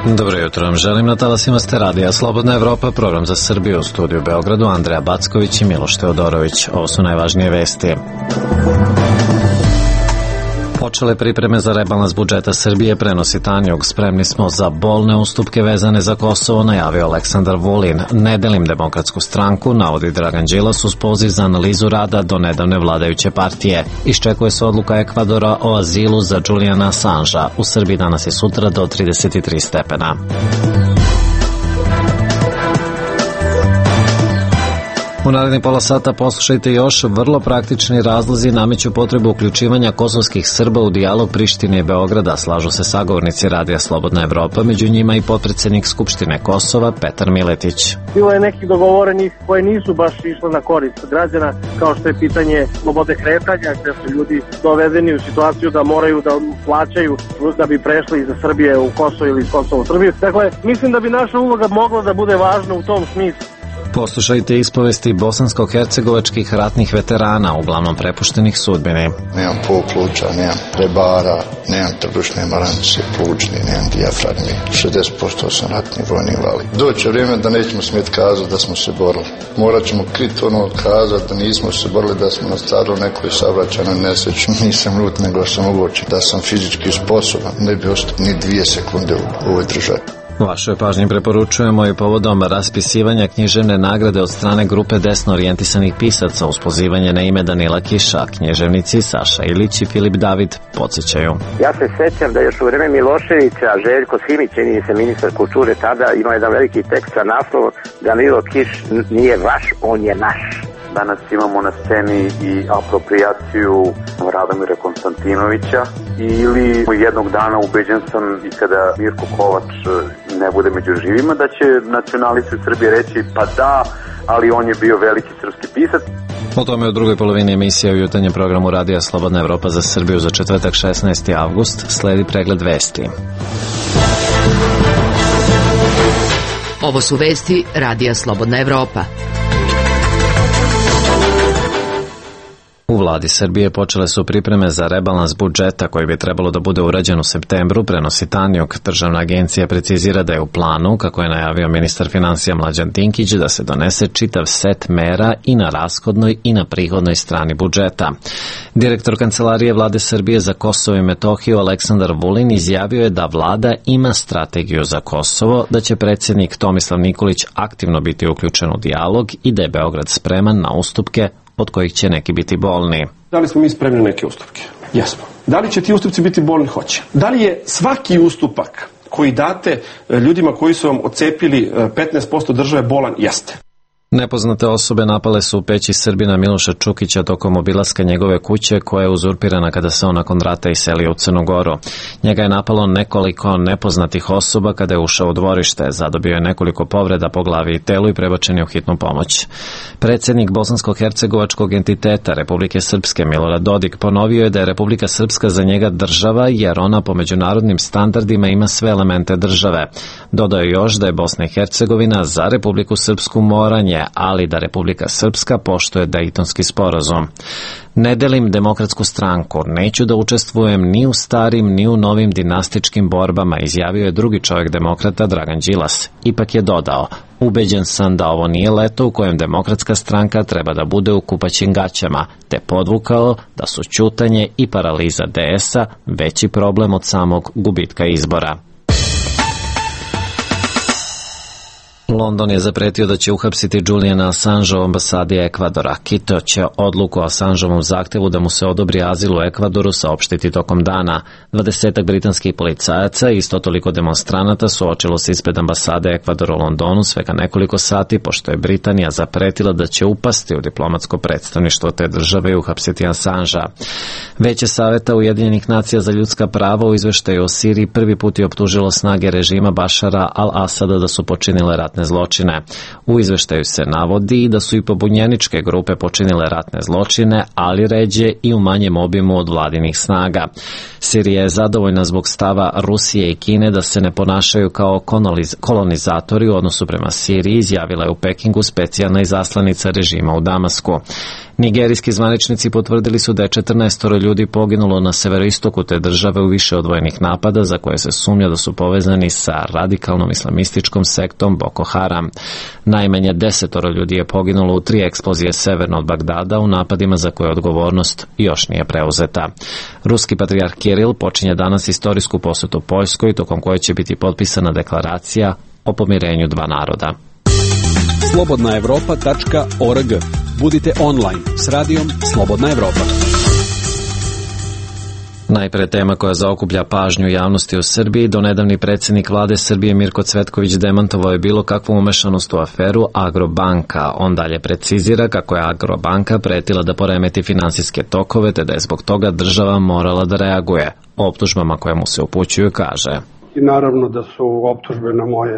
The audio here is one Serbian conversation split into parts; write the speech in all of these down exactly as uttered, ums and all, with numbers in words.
Dobro jutro vam želim, na talasima ste radija Slobodna Evropa, program za Srbiju, u studiju u Beogradu, Andreja Backović i Miloš Teodorović. Ovo su najvažnije vesti. Počele pripreme za rebalans budžeta Srbije, prenosi Tanjug. Spremni smo za bolne ustupke vezane za Kosovo, najavio Aleksandar Vulin. Ne delim Demokratsku stranku, navodi Dragan Đilas uz poziv za analizu rada do nedavne vladajuće partije. Iščekuje se odluka Ekvadora o azilu za Juliana Assangea. U Srbiji danas i sutra do trideset tri stepena. U narednih pola sata poslušajte još. Vrlo praktični razlozi nameću potrebu uključivanja kosovskih Srba u dijalog Prištine i Beograda, slažu se sagovornici radija Slobodna Evropa, među njima i potpredsednik Skupštine Kosova Petar Miletić. Bilo je nekih dogovorenih koje nisu baš išle na korist građana, kao što je pitanje slobode kretanja, gde su ljudi dovedeni u situaciju da moraju da plaćaju da bi prešli iz Srbije u Kosovo ili iz Kosova u Srbiju. Dakle, mislim da bi naša uloga mogla da bude važna u tom smislu. Poslušajte ispovesti bosansko-hercegovačkih ratnih veterana, uglavnom prepuštenih sudbini. Nemam pol pluća, nemam prebara, nemam trbušne maranice, plućni, nemam dijafragmi. šezdeset posto sam ratni vojni invalid. Doće vrijeme da nećemo smjeti kazati da smo se borili. Morat ćemo kriti ono kazati da nismo se borili, da smo nastradali nekoj saobraćajnoj nesreći. Nisam ljut, nego sam uoči da sam fizički sposoban. Ne bi ostao ni dvije sekunde u ovoj državi. Vašoj pažnji preporučujemo i povodom raspisivanja književne nagrade od strane grupe desno orijentisanih pisaca uz pozivanje na ime Danila Kiša. Književnici Saša Ilić i Filip David podsjećaju. Ja se sećam da još u vreme Miloševića Željko Simić, čini se ministar kulture tada, ima jedan veliki tekst sa naslovom Danilo Kiš nije vaš, on je naš. Danas imamo na sceni i aproprijaciju Radomira Konstantinovića ili jednog dana ubeđen sam i kada Mirko Kovač ne bude među živima da će nacionalisti u Srbiji reći pa da, ali on je bio veliki srpski pisac. O tome u drugoj polovini emisije u jutarnjem programu Radija Slobodna Evropa za Srbiju za četvrtak šesnaesti avgust sledi pregled vesti. Ovo su vesti Radija Slobodna Evropa. U vladi Srbije počele su pripreme za rebalans budžeta koji bi trebalo da bude urađen u septembru, prenosi Tanjug. Državna agencija precizira da je u planu, kako je najavio ministar finansija Mlađan Dinkić, da se donese čitav set mera i na rashodnoj i na prihodnoj strani budžeta. Direktor Kancelarije vlade Srbije za Kosovo i Metohiju Aleksandar Vulin izjavio je da vlada ima strategiju za Kosovo, da će predsjednik Tomislav Nikolić aktivno biti uključen u dijalog i da je Beograd spreman na ustupke od kojih će neki biti bolni. Da li smo mi spremni na neke ustupke? Jesmo. Da li će ti ustupci biti bolni? Hoće. Da li je svaki ustupak koji date ljudima koji su vam ocepili petnaest posto države bolan? Jeste. Nepoznate osobe napale su u peći Srbina Miloša Čukića tokom obilaska njegove kuće koja je uzurpirana kada se on nakon rata iselio u Crnu Goru. Njega je napalo nekoliko nepoznatih osoba kada je ušao u dvorište. Zadobio je nekoliko povreda po glavi i telu i prebačen je u hitnu pomoć. Predsjednik bosansko-hercegovačkog entiteta Republike Srpske Milorad Dodik ponovio je da je Republika Srpska za njega država jer ona po međunarodnim standardima ima sve elemente države. Dodao je još da je Bosna i Hercegovina za Republiku Srpsku moranje, ali da Republika Srpska poštuje Dejtonski sporazum. Ne delim Demokratsku stranku, neću da učestvujem ni u starim ni u novim dinastičkim borbama, izjavio je drugi čovjek demokrata Dragan Đilas. Ipak je dodao, ubeđen sam da ovo nije leto u kojem Demokratska stranka treba da bude u kupaćim gaćama, te podvukao da su ćutanje i paraliza D S-a veći problem od samog gubitka izbora. London je zapretio da će uhapsiti Juliana Assangea u ambasadi Ekvadora. Quito će odluku o Assangeovom zahtevu da mu se odobri azil u Ekvadoru saopštiti tokom dana. Dvadesetak britanskih policajaca i isto toliko demonstranata suočilo se ispred ambasade Ekvadora u Londonu svega nekoliko sati, pošto je Britanija zapretila da će upasti u diplomatsko predstavništvo te države i uhapsiti Assangea. Veće saveta Ujedinjenih nacija za ljudska prava u izveštaju o Siriji prvi put je optužilo snage režima Bašara al-Asada da su počinile ratne ratne zločine. U izveštaju se navodi da su i pobunjeničke grupe počinile ratne zločine, ali ređe i u manjem obimu od vladinih snaga. Sirija je zadovoljna zbog stava Rusije i Kine da se ne ponašaju kao kolonizatori u odnosu prema Siriji, izjavila je u Pekingu specijalna izaslanica režima u Damasku. Nigerijski zvaničnici potvrdili su da je četrnaestoro ljudi poginulo na severoistoku te države u više odvojenih napada za koje se sumnja da su povezani sa radikalnom islamističkom sektom Boko Haram. Najmanje desetoro ljudi je poginulo u tri eksplozije severno od Bagdada u napadima za koje odgovornost još nije preuzeta. Ruski patrijarh Kiril počinje danas istorijsku posetu Poljskoj, tokom koje će biti potpisana deklaracija o pomirenju dva naroda. slobodna evropa tačka org. Budite online s radijom Slobodna Evropa. Najpre tema koja zaokuplja pažnju javnosti u Srbiji. Donedavni predsjednik vlade Srbije Mirko Cvetković demantovao je bilo kakvu umešanost u aferu Agrobanka. On dalje precizira kako je Agrobanka pretila da poremeti finansijske tokove, te da je zbog toga država morala da reaguje. O optužbama koje mu se upućuju kaže: I naravno da su optužbe na, moje,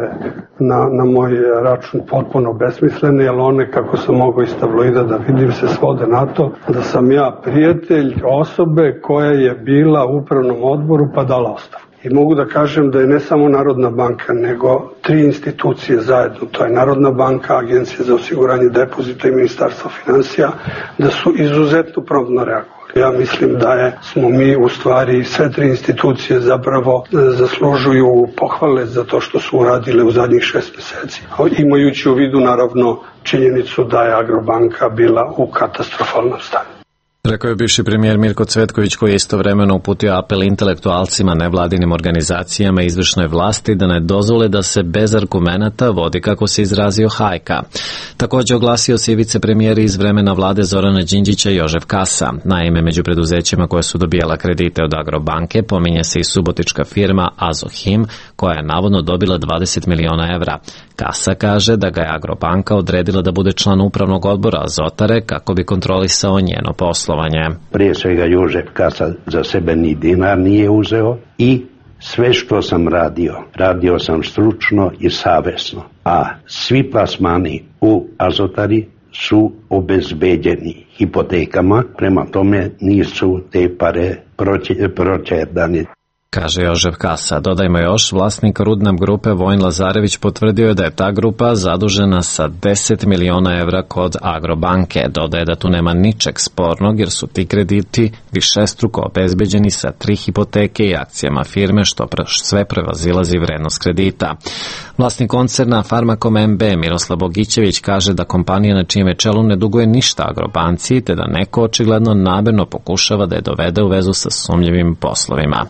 na, na moj račun potpuno besmislene, jer one, kako sam mogao iz tabloida da vidim, se svode na to da sam ja prijatelj osobe koja je bila u upravnom odboru pa dala ostavku. I mogu da kažem da je ne samo Narodna banka, nego tri institucije zajedno, to je Narodna banka, Agencija za osiguranje depozita i Ministarstvo finansija, da su izuzetno promptno reagovali. Ja mislim da je, smo mi u stvari sve tri institucije zapravo zaslužuju pohvale za to što su uradile u zadnjih šest meseci. Imajući u vidu naravno činjenicu da je Agrobanka bila u katastrofalnom stanju. Rekao je bivši premijer Mirko Cvetković, koji je istovremeno uputio apel intelektualcima, nevladinim organizacijama i izvršnoj vlasti da ne dozvole da se bez argumenata vodi, kako se izrazio, hajka. Također oglasio se i vicepremijer iz vremena vlade Zorana Đinđića Jožef Kasa. Naime, među preduzećima koje su dobijala kredite od Agrobanke pominje se i subotička firma Azohim, koja je navodno dobila dvadeset miliona evra. Kasa kaže da ga je Agrobanka odredila da bude član upravnog odbora Azotare kako bi kontrolisao njeno poslovanje. Prije svega Jožef Kasa za sebe ni dinar nije uzeo i sve što sam radio, radio sam stručno i savjesno, a svi plasmani u Azotari su obezbeđeni hipotekama, prema tome nisu te pare proćerdani. Kaže Jožef Kasa. Dodajmo još, vlasnik Rudnam grupe Vojin Lazarević potvrdio je da je ta grupa zadužena sa deset miliona evra kod Agrobanke. Dodaje da tu nema ničeg spornog jer su ti krediti višestruko obezbeđeni sa tri hipoteke i akcijama firme, što sve prevazilazi vrednost kredita. Vlasnik koncerna Farmakom M B Miroslav Bogićević kaže da kompanija na čijem čelu ne duguje ništa Agrobanci, te da neko očigledno namerno pokušava da je dovede u vezu sa sumnjivim poslovima.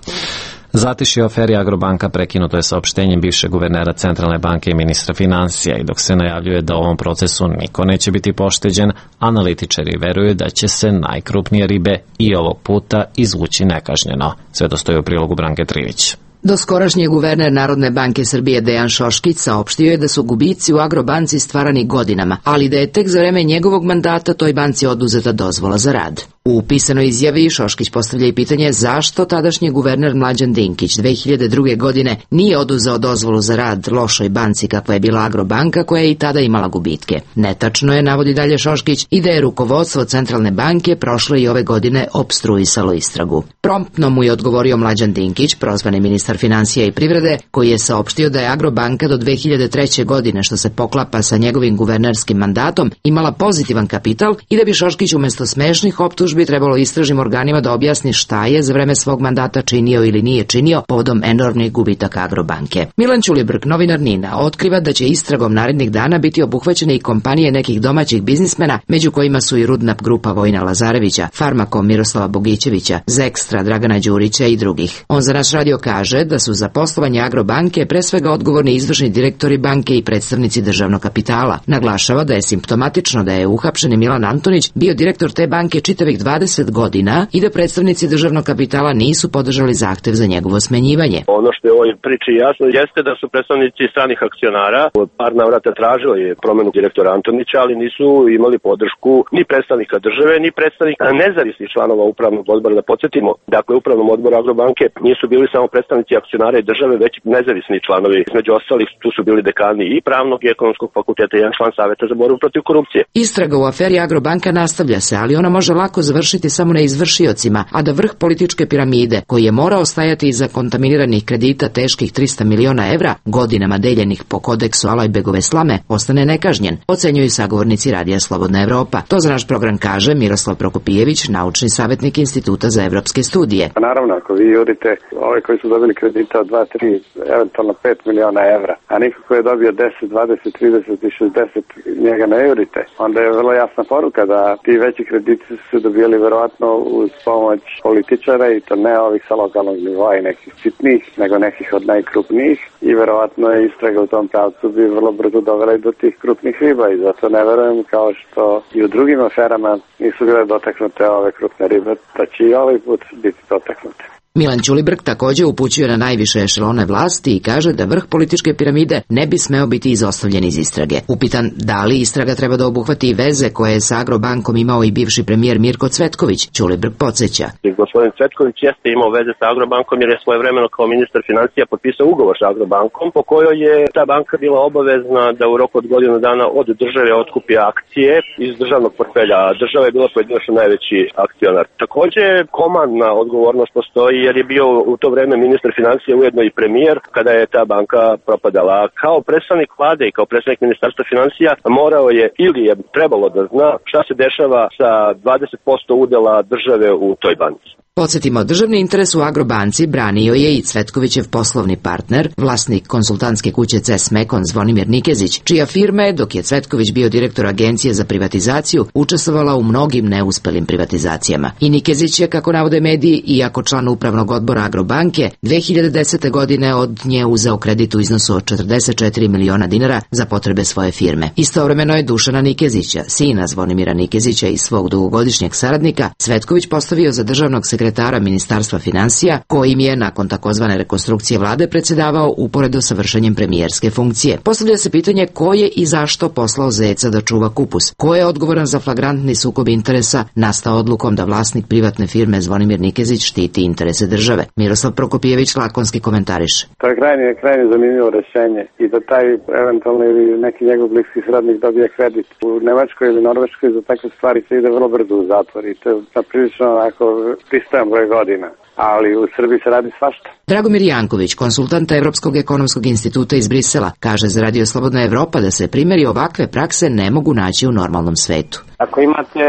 Zatišje o aferi Agrobanka prekinuto je saopštenjem bivšeg guvernera Centralne banke i ministra finansija, i dok se najavljuje da u ovom procesu niko neće biti pošteđen, analitičari veruju da će se najkrupnije ribe i ovog puta izvući nekažnjeno. Sve to stoji u prilogu Branke Trivić. Doskorašnji guverner Narodne banke Srbije Dejan Šoškić saopštio je da su gubici u Agrobanci stvarani godinama, ali da je tek za vreme njegovog mandata toj banci oduzeta dozvola za rad. U pisanoj izjavi Šoškić postavlja i pitanje zašto tadašnji guverner Mlađan Dinkić dve hiljade druge. godine nije oduzeo dozvolu za rad lošoj banci kakva je bila Agrobanka, koja je i tada imala gubitke. Netačno je, navodi dalje Šoškić, i da je rukovodstvo Centralne banke prošle i ove godine opstruisalo istragu. Promptno mu je odgovorio Mlađan Dinkić, prozvani ministar finansija i privrede, koji je saopštio da je Agrobanka do dve hiljade treće. godine, što se poklapa sa njegovim guvernerskim mandatom, imala pozitivan kapital i da bi Šoškić umjesto smešnih optužbi bi trebalo istražnim organima da objasni šta je za vreme svog mandata činio ili nije činio povodom enormnih gubitaka Agrobanke. Milan Ćulibrk, novinar NIN-a, otkriva da će istragom narednih dana biti obuhvaćene i kompanije nekih domaćih biznismena, među kojima su i Rudnap grupa Vojina Lazarevića, Farmakom Miroslava Bogićevića, Zekstra Dragana Đurića i drugih. On za naš radio kaže da su za poslovanje Agrobanke pre svega odgovorni izvršni direktori banke i predstavnici državnog kapitala. Naglašava da je simptomatično da je uhapšeni Milan Antonić bio direktor te banke čitavih dvadeset godina i da predstavnici državnog kapitala nisu podržali zahtev za njegovo smenjivanje. Ono što je u ovoj priči jasno jeste da su predstavnici stranih akcionara od par navrata tražili promenu direktora Antonića, ali nisu imali podršku ni predstavnika države, ni predstavnika nezavisnih članova upravnog odbora. Da podsjetimo, dakle, upravnom odboru Agrobanke nisu bili samo predstavnici akcionara i države, već nezavisni članovi. Među ostalih tu su bili dekani i pravnog i ekonomskog fakulteta i jedan član Saveta za borbu protiv korupcije. Istraga u aferi Agrobanka nastavlja se, ali ona može lako završiti samo na izvršiocima, a da vrh političke piramide, koji je morao stajati iza kontaminiranih kredita teških trista miliona evra, godinama deljenih po kodeksu Alajbegove slame, ostane nekažnjen, ocenjuju sagovornici Radija Slobodna Evropa. To za naš program kaže Miroslav Prokopijević, naučni savjetnik Instituta za evropske studije. Pa naravno, ako vi jurite ove koji su dobili kredita od dva, tri, eventualno pet miliona evra, a niko ko je dobio deset, dvadeset, trideset i šezdeset, njega ne jurite, onda je vrlo jasna poruka da ti veći krediti su dobijali verovatno uz pomoć političara i to ne ovih sa lokalnog nivoa i nekih sitnih, nego nekih od najkrupnijih i verovatno je istraga u tom pravcu bi vrlo brzo dovela i do tih krupnih riba i zato ne verujem kao što i u drugim aferama nisu bile dotaknute ove krupne ribe, da će i ovaj put biti dotaknute. Milan Ćulibrk također upućuje na najviše ešelone vlasti i kaže da vrh političke piramide ne bi smeo biti izostavljen iz istrage. Upitan da li istraga treba da obuhvati i veze koje je sa Agrobankom imao i bivši premijer Mirko Cvetković, Ćulibrk podsjeća. Gospodin Cvetković jeste imao veze sa Agrobankom jer je svojevremeno kao ministar financija potpisao ugovor sa Agrobankom po kojoj je ta banka bila obavezna da u roku od godinu dana od države otkupi akcije iz državnog portfelja. Država je bila pojedinačno najveći akcionar. Također komandna odgovornost postoji jer je bio u to vreme ministar financija ujedno i premijer kada je ta banka propadala. Kao predstavnik vlade i kao predstavnik ministarstva financija morao je ili je trebalo da zna šta se dešava sa dvadeset posto udela države u toj banci. Podsjetimo, državni interes u Agrobanci branio je i Cvetkovićev poslovni partner, vlasnik konsultantske kuće C E S Mekon Zvonimir Nikezić, čija firma je, dok je Cvetković bio direktor Agencije za privatizaciju, učestvovala u mnogim neuspelim privatizacijama. I Nikezić je, kako navode mediji, iako član upravnog odbora Agrobanke, dve hiljade desete. godine od nje uzeo kredit u iznosu od četrdeset četiri miliona dinara za potrebe svoje firme. Istovremeno je Dušana Nikezića, sina Zvonimira Nikezića i svog dugogodišnjeg saradnika, Cvetković postavio za državnog sekretara sekretara Ministarstva financija, kojim je nakon takozvane rekonstrukcije vlade predsjedavao uporedo sa vršenjem premijerske funkcije. Postavlja se pitanje ko je i zašto poslao zeca da čuva kupus. Ko je odgovoran za flagrantni sukob interesa nastao odlukom da vlasnik privatne firme Zvonimir Nikezić štiti interese države. Miroslav Prokopijević lakonski komentariše. To je krajnje, krajnje zanimljivo rešenje i da taj eventualno ili neki njegov bliski srodnik dobije kredit u Nemačkoj ili Norveškoj za takve stvari se ide vrlo brzo u zatvor i to je prilično onako pristojan broj godina. Ali u Srbiji se radi svašta. Dragomir Janković, konsultant Evropskog ekonomskog instituta iz Brisela, kaže za Radio Slobodna Evropa da se primjeri ovakve prakse ne mogu naći u normalnom svetu. Ako imate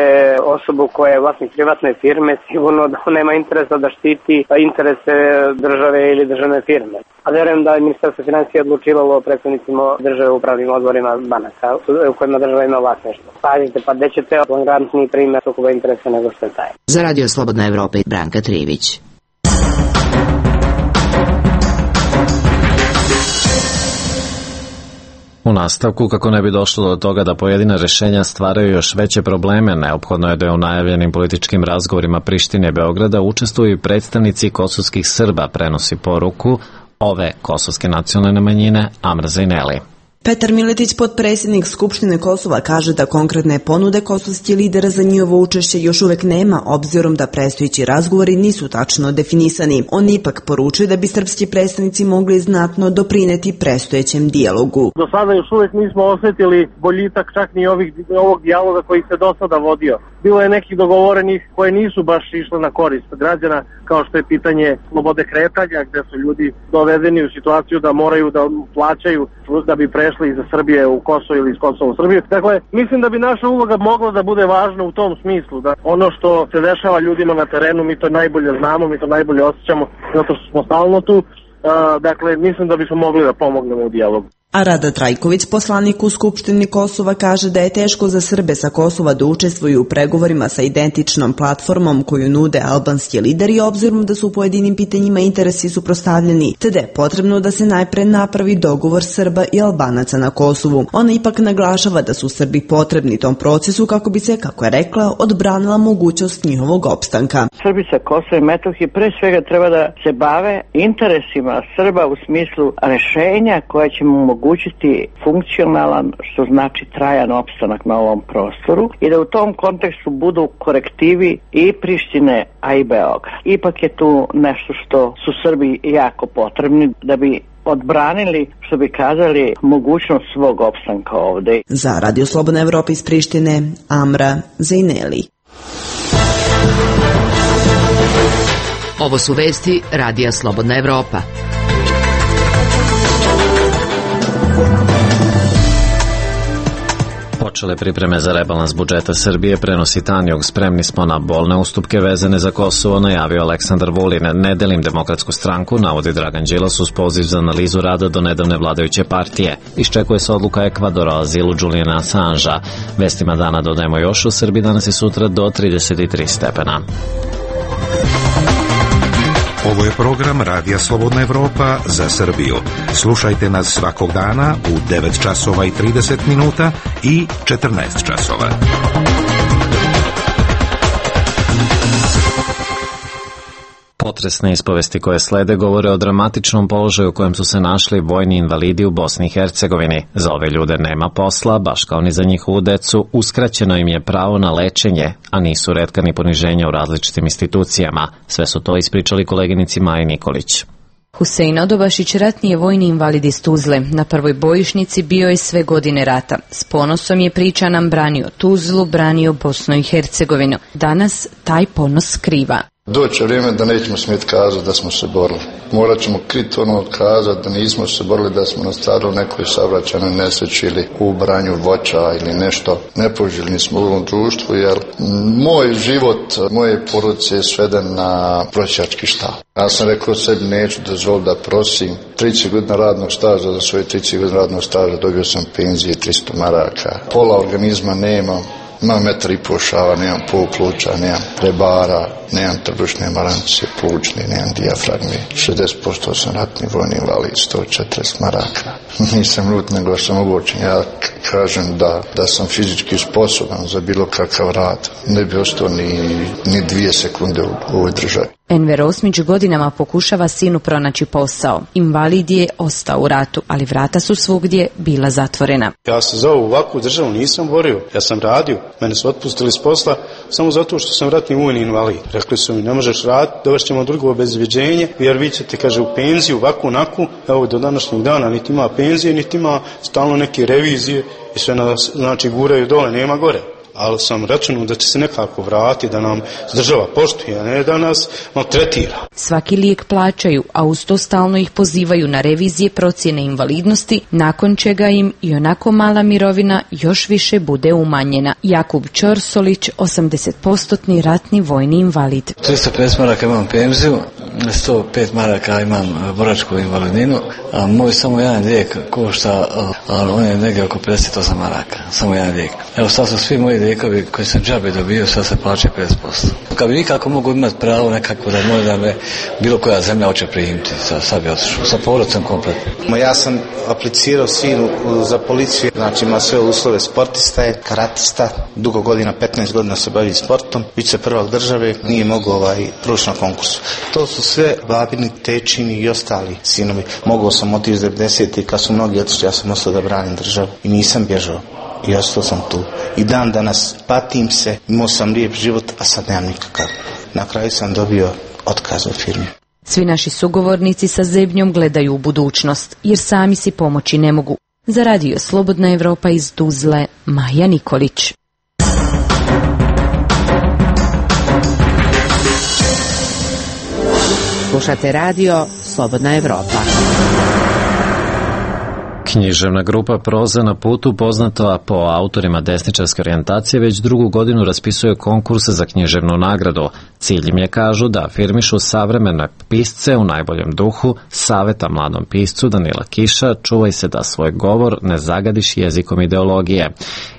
osobu koja je vlasnik privatne firme, sigurno da nema interesa da štiti interese države ili državne firme. A verujem da je Ministarstvo financija odlučivalo o predstavnicima države u upravnim odborima banaka u kojima država ima vlasništvo. Pazite, pa gde ćete flagrantniji primjer sukoba interesa nego što je taj. Za Radio Slobodna Evropa i Branka Trivić. U nastavku, kako ne bi došlo do toga da pojedina rešenja stvaraju još veće probleme, neophodno je da je u najavljenim političkim razgovorima Prištine i Beograda učestvuju i predstavnici kosovskih Srba, prenosi poruku ove kosovske nacionalne manjine Amra Zajneli. Petar Miletić, potpredsjednik Skupštine Kosova, kaže da konkretne ponude kosovskih lidera za njihovo učešće još uvek nema, obzirom da predstojeći razgovori nisu tačno definisani. On ipak poručuje da bi srpski predstavnici mogli znatno doprineti predstojećem dijalogu. Do sada još uvek nismo osjetili boljitak čak ni ovih, ovog dijaloga koji se do sada vodio. Bilo je nekih dogovorenih koje nisu baš išle na korist građana, kao što je pitanje slobode kretanja, gde su ljudi dovedeni u situaciju da moraju da plaćaju da bi prešli iz Srbije u Kosovo ili iz Kosova u Srbiju. Dakle, mislim da bi naša uloga mogla da bude važna u tom smislu, da ono što se dešava ljudima na terenu, mi to najbolje znamo, mi to najbolje osjećamo, zato što smo stalno tu. Uh, dakle, mislim da bismo mogli da pomognemo u dijalogu. A Rada Trajković, poslanik u Skupštini Kosova, kaže da je teško za Srbe sa Kosova da učestvuju u pregovorima sa identičnom platformom koju nude albanski lideri, obzirom da su u pojedinim pitanjima interesi suprotstavljeni, te da je potrebno da se najpre napravi dogovor Srba i Albanaca na Kosovu. Ona ipak naglašava da su Srbi potrebni tom procesu kako bi se, kako je rekla, odbranila mogućnost njihovog opstanka. Srbi sa Kosova i Metohije pre svega treba da se bave interesima Srba u smislu rešenja koja će mu omogućiti funkcionalan, što znači trajan opstanak na ovom prostoru, i da u tom kontekstu budu korektivi i Prištine, a i Beograd. Ipak je tu nešto što su Srbi jako potrebni da bi odbranili, što bi kazali, mogućnost svog opstanka ovde. Za Radio Slobodna Evropa iz Prištine, Amra Zejneli. Ovo su vesti Radija Slobodna Evropa. Počele pripreme za rebalans budžeta Srbije, prenosi Tanjug, spremni smo na bolne ustupke vezane za Kosovo, najavio Aleksandar Vulin. Ne delim Demokratsku stranku, navodi Dragan Đilas uz poziv za analizu rada do nedavne vladajuće partije. Iščekuje se odluka Ekvadora o azilu Julijana Assangea. Vestima dana dodajemo još, u Srbiji danas i sutra do trideset tri stepena. Ovo je program Radija Slobodna Evropa za Srbiju. Slušajte nas svakog dana u devet časova i trideset minuta i četrnaest časova. Potresne ispovesti koje slede govore o dramatičnom položaju u kojem su se našli vojni invalidi u Bosni i Hercegovini. Za ove ljude nema posla, baš kao ni za njihovu decu, uskraćeno im je pravo na lečenje, a nisu retka ni poniženja u različitim institucijama. Sve su to ispričali koleginici Maji Nikolić. Husein Odobašić, ratni je vojni invalid iz Tuzle. Na prvoj bojišnici bio je sve godine rata. S ponosom je, priča nam, branio Tuzlu, branio Bosnu i Hercegovinu. Danas taj ponos skriva. Doće vrijeme da nećemo smjeti kazati da smo se borili. Morat ćemo kriti ono kazati da nismo se borili, da smo nastradali nekoj saobraćajnoj nesreći ili u branju voća ili nešto. Nepoželjni smo u ovom društvu, jer moj život, moje porodice je sveden na prosjački štab. Ja sam rekao sebi, neću dozvoliti da prosim. trideset godina radnog staža, za svoje trideset godina radnog staža dobio sam penzije tristo maraka. Pola organizma nemam. Imam metar i pol šava, nemam pol pluća, nemam prebara, nemam trbušne marance, plućne, nemam dijafragme. šezdeset posto sam ratni vojni invalid, sto četrdeset maraka. Nisam lud, nego sam obučen. Ja kažem da, da sam fizički sposoban za bilo kakav rad. Ne bi ostao ni, ni dvije sekunde u ovoj državi. Enver Osmić godinama pokušava sinu pronaći posao. Invalid je ostao u ratu, ali vrata su svugdje bila zatvorena. Ja se za ovu ovakvu državu nisam borio. Ja sam radio. Mene su otpustili s posla samo zato što sam ratni vojni invalid. Rekli su mi, ne možeš raditi, dovešćemo drugo obezvjeđenje, jer vi ćete, kaže, u penziju, ovakvu, onakvu. Evo, do današnjeg dana niti ima penzije, niti ima stalno neke revizije i sve nas, znači, guraju dole, nema gore. Ali sam računao da će se nekako vratiti, da nam država poštuje, a ne da nas maltretira. Svaki lijek plaćaju, a uz to stalno ih pozivaju na revizije procjene invalidnosti, nakon čega im i onako mala mirovina još više bude umanjena. Jakub Ćorsolić, osamdeset posto ratni vojni invalid. tristo pedeset maraka imam penziju, sto pet maraka imam boračku invalidninu, a moj samo jedan lijek košta, a on je negdje oko pedeset osam maraka, samo jedan lijek. Evo sad su svi moji lijekovi koji sam džabe dobio, sad se plaće pedeset posto. Kad bi nikako mogu imati pravo nekako da možda me bilo koja zemlja hoće primiti, sad, sad bi otišao, sa porodcem kompletno. Ja sam aplicirao sinu za policiju, znači ima sve uslove, sportista je, karatista, dugo godina, petnaest godina se bavi sportom, vice prvak države, nije mogao ovaj, proći na konkursu. To su sve babini, tečini i ostali sinovi. Mogao sam otići devedesetih kad su mnogi otišli, ja sam ostao da branim državu i nisam bježao. I ostao sam tu. I dan danas patim se, imao sam lijep život, a sad nemam nikakav. Na kraju sam dobio otkaz u firmi. Svi naši sugovornici sa zebnjom gledaju u budućnost, jer sami si pomoći ne mogu. Za Radio Slobodna Evropa iz Tuzle, Maja Nikolić. Slušate Radio Slobodna Evropa. Književna grupa Proza na putu, poznata po autorima desničarske orijentacije, već drugu godinu raspisuje konkurse za književnu nagradu. Cilj im je, kažu, da afirmišu savremene pisce u najboljem duhu, saveta mladom piscu Danila Kiša: čuvaj se da svoj govor ne zagadiš jezikom ideologije.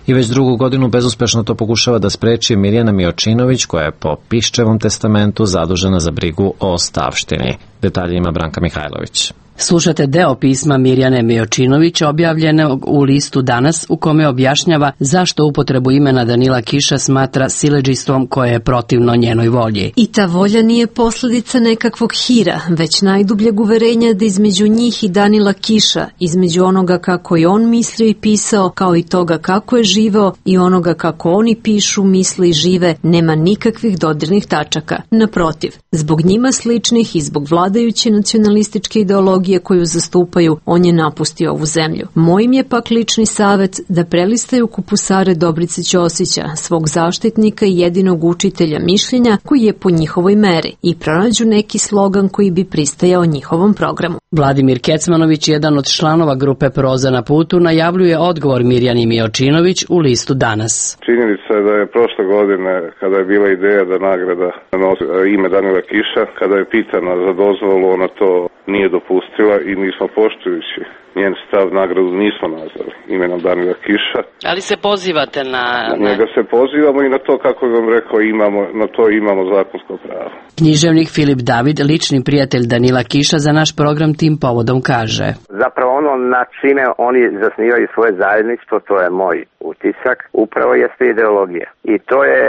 I već drugu godinu bezuspešno to pokušava da spreči Mirjana Miočinović, koja je po Piščevom testamentu zadužena za brigu o ostavštini. Detalje ima Branka Mihajlović. Slušate deo pisma Mirjane Miočinović objavljenog u listu Danas, u kome objašnjava zašto upotrebu imena Danila Kiša smatra siledžistvom koje je protivno njenoj volji. I ta volja nije posledica nekakvog hira, već najdubljeg uverenja da između njih i Danila Kiša, između onoga kako je on mislio i pisao, kao i toga kako je živeo i onoga kako oni pišu, misle i žive, nema nikakvih dodirnih tačaka. Naprotiv, zbog njima sličnih i zbog vladajuće nacionalističke ideologije koju zastupaju, on je napustio ovu zemlju. Moj im je pak lični savet da prelistaju kupusare Dobrice Ćosića, svog zaštitnika i jedinog učitelja mišljenja koji je po njihovoj meri, i pronađu neki slogan koji bi pristajao njihovom programu. Vladimir Kecmanović, jedan od članova grupe Proza na putu, najavljuje odgovor Mirjani Miočinović u listu Danas. Činjenica je da je prošle godine, kada je bila ideja da nagrada nosi ime Danila Kiša, kada je pitana za dozvolu, ona to nije dopustila i nismo, poštujući njen stav, nagradu nismo nazvali imenom Danila Kiša. Ali se pozivate na... Na njega se pozivamo i na to, kako vam rekao, imamo, na to imamo zakonsko pravo. Književnik Filip David, lični prijatelj Danila Kiša, za naš program tim povodom kaže: zapravo ono na čime oni zasnivaju svoje zajedništvo, to je moj utisak, upravo jeste ideologija. I to je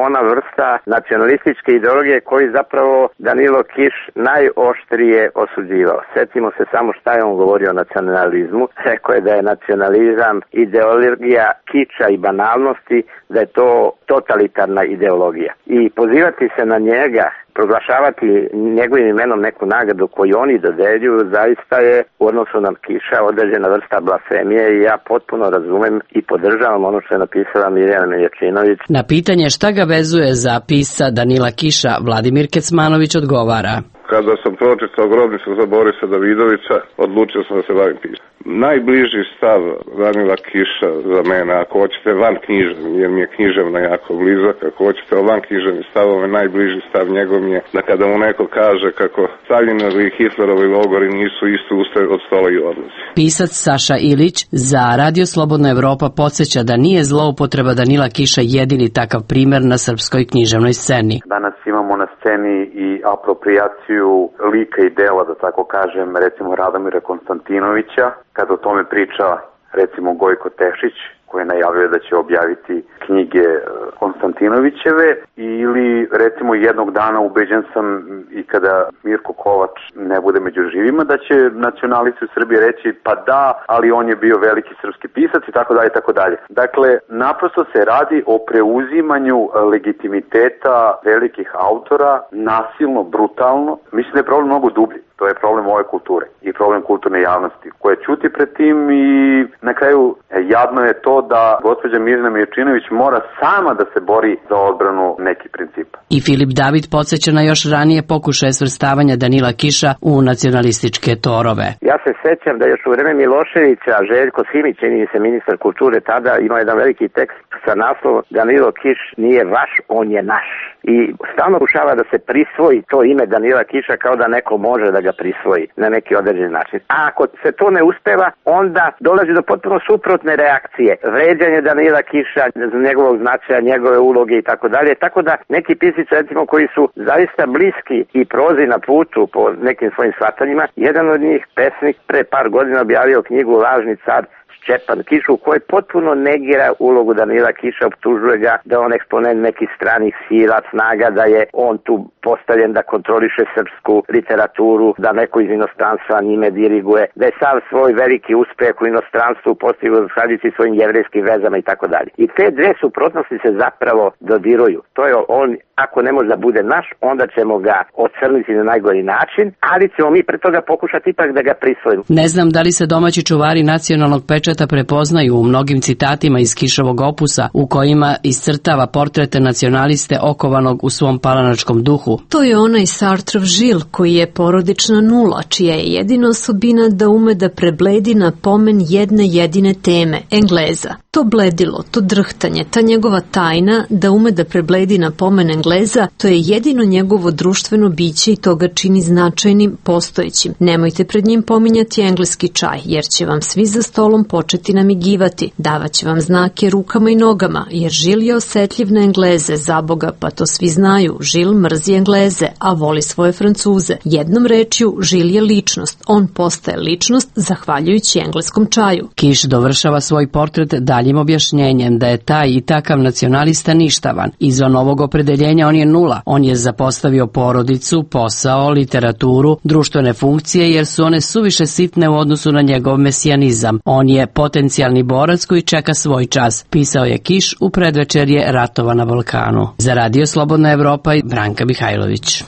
ona vrsta nacionalističke ideologije koju zapravo Danilo Kiš najoštrije osuđivao. Sjetimo se samo šta je on govorio o nacionalizmu. Rekao je da je nacionalizam ideologija kiča i banalnosti, da je to totalitarna ideologija. I pozivati se na njega, proglašavati njegovim imenom neku nagradu koju oni dodeljuju, zaista je u odnosu na Kiša određena vrsta blasfemije i ja potpuno razumem i podržavam ono što je napisala Mirjana Miočinović. Na pitanje šta ga vezuje za pisca Danila Kiša, Vladimir Kecmanović odgovara: kada sam pročitao Grobnicu za Borisa Davidovića, odlučio sam da se bavim pisanjem. Najbliži stav Danila Kiša za mene, ako hoćete van književni, jer mi je književna jako blizak, ako hoćete o van književni stavove, najbliži stav njegov mi je da kada mu neko kaže kako Staljinovi i Hitlerovi logori nisu isto ustaje od stola i odlazi. Pisac Saša Ilić za Radio Slobodna Evropa podsjeća da nije zloupotreba Danila Kiša jedini takav primer na srpskoj književnoj sceni. Danas imamo na sceni i aproprijaciju lika i dela, da tako kažem, recimo Radomira Konstantinovića, kada o tome priča recimo Gojko Tešić, koji najavljuje da će objaviti knjige Konstantinovićeve, ili recimo jednog dana ubeđen sam i kada Mirko Kovač ne bude među živima, da će nacionalisti u Srbiji reći pa da, ali on je bio veliki srpski pisac i tako dalje i tako dalje. Dakle, naprosto se radi o preuzimanju legitimiteta velikih autora, nasilno, brutalno. Mislim da je problem mnogo dublji. To je problem ove kulture i problem kulturne javnosti koja ćuti pred tim i na kraju jadno je to da gospođa Mirjana Miočinović mora sama da se bori za odbranu nekih principa. I Filip David podsjeća na još ranije pokušaje svrstavanja Danila Kiša u nacionalističke torove. Ja se sećam da još u vreme Miloševića Željko Simić, čini se ministar kulture tada, imao jedan veliki tekst sa naslovom Danilo Kiš nije vaš, on je naš. I stalno pokušava da se prisvoji to ime Danila Kiša kao da neko može da ga prisvoji na neki određen način. A ako se to ne uspeva, onda dolazi do potpuno suprotne reakcije. Vređanje Danila Kiša, njegovog značaja, njegove uloge i tako dalje. Tako da neki pisci, recimo, koji su zaista bliski i Prozi na putu po nekim svojim shvatanjima, jedan od njih, pesnik, pre par godina objavio knjigu Lažni car Šćepan Kiš, u kojoj potpuno negira ulogu Danila Kiša, optužuje ga da on eksponent nekih stranih sila, snaga, da je on tu postavljen da kontroliše srpsku literaturu, da neko iz inostranstva njime diriguje, da je sav svoj veliki uspeh u inostranstvu postigao zahvaljujući svojim jevrejskim vezama i tako dalje. I te dve suprotnosti se zapravo dodiruju. To je on, ako ne može da bude naš, onda ćemo ga ocrniti na najgori način, ali ćemo mi pre toga pokušati ipak da ga prisvojimo. Ne znam da li se domaći čuvari nacionalnog pečata prepoznaju u mnogim citatima iz Kišovog opusa u kojima iscrtava portrete nacionaliste okovanog u svom palanačkom duhu. To je onaj Sartrov Žil koji je porodična nula, čija je jedina osobina da ume da prebledi na pomen jedne jedine teme, Engleza. To bledilo, to drhtanje, ta njegova tajna da ume da prebledi na pomen Engleza, to je jedino njegovo društveno biće i to ga čini značajnim, postojećim. Nemojte pred njim pominjati engleski čaj, jer će vam svi za stolom početi namigivati. Davaće vam znake rukama i nogama, jer Žil je osetljiv na Engleze, za Boga, pa to svi znaju. Žil mrzi Engleze, a voli svoje Francuze. Jednom rečju, Žil je ličnost. On postaje ličnost zahvaljujući engleskom čaju. Kiš dovršava svoj portret daljim objašnjenjem da je taj i takav nacionalista ništavan. Izvan ovog opredeljenja on je nula. On je zapostavio porodicu, posao, literaturu, društvene funkcije, jer su one suviše sitne u odnosu na njegov mesijanizam. On je potencijalni borac koji čeka svoj čas, pisao je Kiš u predvečerje ratova na Balkanu. Za Radio Slobodna Evropa i Branka Mihajlović.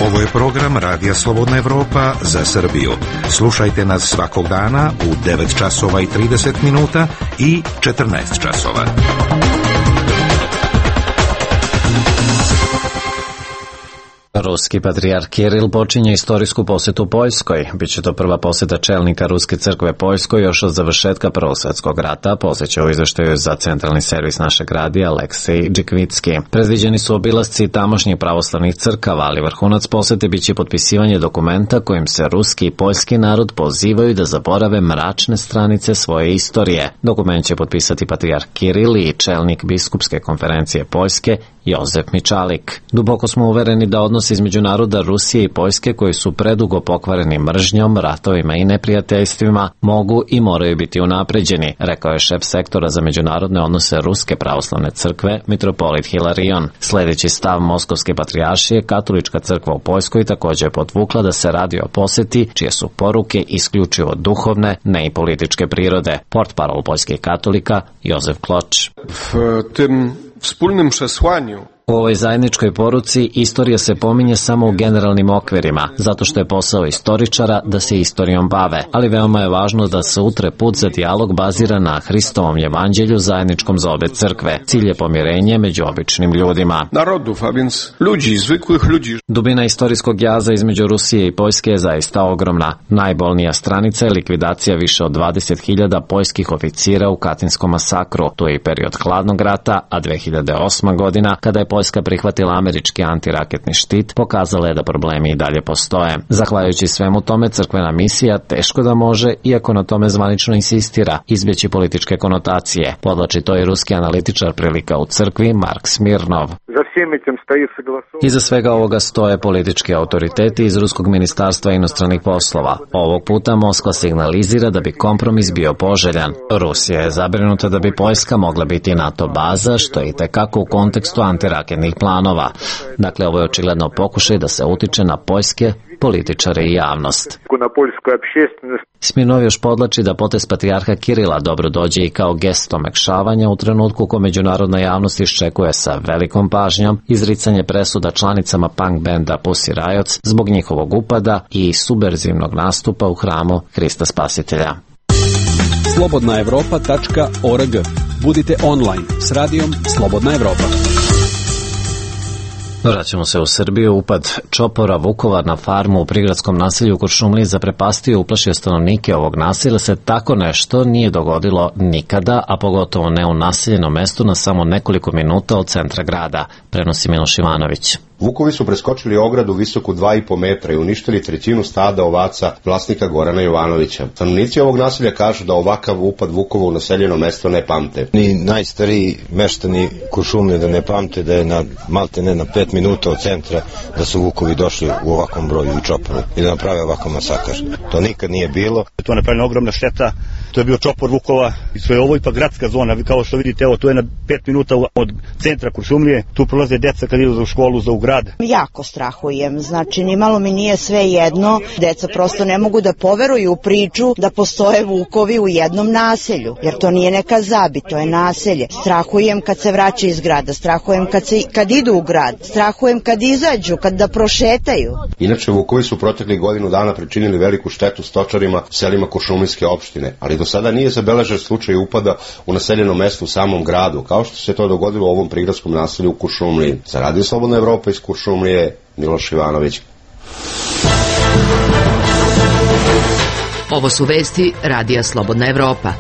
Ovo je program Radija Slobodna Evropa za Srbiju. Slušajte nas svakog dana u devet časova i trideset minuta i četrnaest časova. Ruski patrijarh Kiril počinje istorijsku posetu Poljskoj. Biće to prva poseta čelnika Ruske crkve Poljskoj još od završetka Prvog svjetskog rata, posjeća u izveštaju za centralni servis našeg radija Aleksej Džikvitski. Predviđeni su obilasci tamošnjih pravoslavnih crkava, ali vrhunac posete biće potpisivanje dokumenta kojim se ruski i poljski narod pozivaju da zaborave mračne stranice svoje istorije. Dokument će potpisati patrijarh Kiril i čelnik biskupske konferencije Poljske Jozef Mičalik. Duboko smo uvereni da odnos između naroda Rusije i Poljske, koji su predugo pokvareni mržnjom, ratovima i neprijateljstvima, mogu i moraju biti unapređeni, rekao je šef sektora za međunarodne odnose Ruske pravoslavne crkve, mitropolit Hilarion. Sljedeći stav Moskovske patrijaršije, katolička crkva u Poljskoj također je potvukla da se radi o poseti čije su poruke isključivo duhovne, ne i političke prirode. Portparol poljskih katolika Jozef Kloč. W tym wspólnym przesłaniu U ovoj zajedničkoj poruci istorija se pominje samo u generalnim okvirima, zato što je posao istoričara da se istorijom bave, ali veoma je važno da se utre put za dijalog bazira na Hristovom evanđelju zajedničkom za obe crkve. Cilj je pomirenje među običnim ljudima. Narodów, a więc ludzi, zwykłych ludzi. Dubina istorijskog jaza između Rusije i Poljske je zaista ogromna. Najbolnija stranica je likvidacija više od dvadeset hiljada poljskih oficira u Katinskom masakru. To je i period hladnog rata, a dve hiljade osma godina, kada je Poljska prihvatila američki antiraketni štit, pokazala je da problemi i dalje postoje. Zahvaljujući svemu tome, crkvena misija teško da može, iako na tome zvanično insistira, izbjeći političke konotacije. Podlači to i ruski analitičar prilika u crkvi Mark Smirnov. Iza svega ovoga stoje politički autoriteti iz Ruskog ministarstva inostranih poslova. Ovog puta Moskva signalizira da bi kompromis bio poželjan. Rusija je zabrinuta da bi Poljska mogla biti NATO baza, što je itekako u kontekstu antiraketnih planova. Dakle, ovo je očigledno pokušaj da se utiče na poljske političare i javnost. Smirnov još podlači da potez patrijarha Kirila dobro dođe i kao gest omekšavanja u trenutku ko međunarodna javnost iščekuje sa velikom pažnjom izricanje presuda članicama punk benda Pussy Riots zbog njihovog upada i subverzivnog nastupa u hramu Hrista Spasitelja. slobodna evropa tačka org. Budite online s radijom Slobodna Evropa. Vraćamo se u Srbiju. Upad čopora Vukovar na farmu u prigradskom naselju u Kuršumliji zaprepastio i uplašio stanovnike ovog naselja. Se tako nešto nije dogodilo nikada, a pogotovo ne u naseljenom mestu na samo nekoliko minuta od centra grada, prenosi Miloš Ivanović. Vukovi su preskočili ogradu visoku dva i po metra i uništili trećinu stada ovaca vlasnika Gorana Jovanovića. Stanovnici ovog naselja kažu da ovakav upad Vukova u naseljeno mesto ne pamte. Ni najstariji meštani Kuršumlije da ne pamte da je na malte ne na pet minuta od centra da su Vukovi došli u ovakvom broju i čoporu i da naprave ovakav masakar. To nikad nije bilo. To je napravljena ogromna šteta. To je bio čopor Vukova i sve ovo ipak gradska zona. Kao što vidite, evo, to je na pet minuta od centra Kuršumlije. Tu prolaze deca kad idu u školu za u grad. grad? Jako strahujem, znači nimalo mi nije sve jedno, deca prosto ne mogu da poveruju u priču da postoje vukovi u jednom naselju, jer to nije neka zabi, to je naselje. Strahujem kad se vraća iz grada, strahujem kad, se, kad idu u grad, strahujem kad izađu, kad da prošetaju. Inače, vukovi su proteklih godinu dana pričinili veliku štetu stočarima selima Kuršumlijske opštine, ali do sada nije zabeležen slučaj upada u naseljeno mesto u samom gradu, kao što se to dogodilo u ovom prigradskom naselju u Kuršumliji. Za Radio Slobodna Evropa iz Kuršumlije, Miloš Ivanović. Ovo su vesti Radija Slobodna Evropa.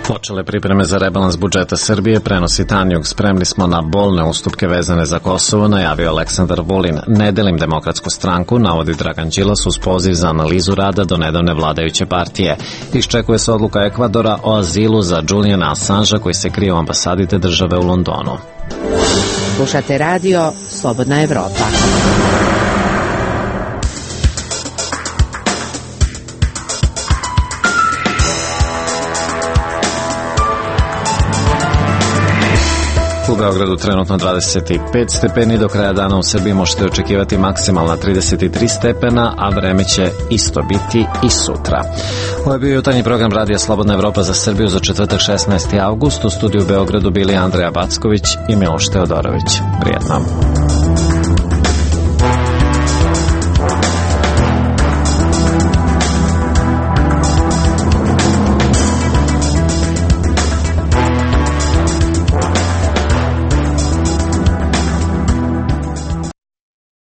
Počele pripreme za rebalans budžeta Srbije, prenosi Tanjug. Spremni smo na bolne ustupke vezane za Kosovo, najavio Aleksandar Vulin. Ne delim Demokratsku stranku, navodi Dragan Đilas uz poziv za analizu rada do nedavne vladajuće partije. Iščekuje se odluka Ekvadora o azilu za Juliana Assangea koji se krije u ambasadi te države u Londonu. Slušate radio Slobodna Evropa. U Beogradu trenutno dvadeset pet stepeni, do kraja dana u Srbiji možete očekivati maksimalna trideset tri stepena, a vreme će isto biti i sutra. Ovo je bio jutarnji program Radija Slobodna Evropa za Srbiju za četvrtak šesnaesti avgust. U studiju u Beogradu bili Andreja Backović i Miloš Teodorović. Prijetno.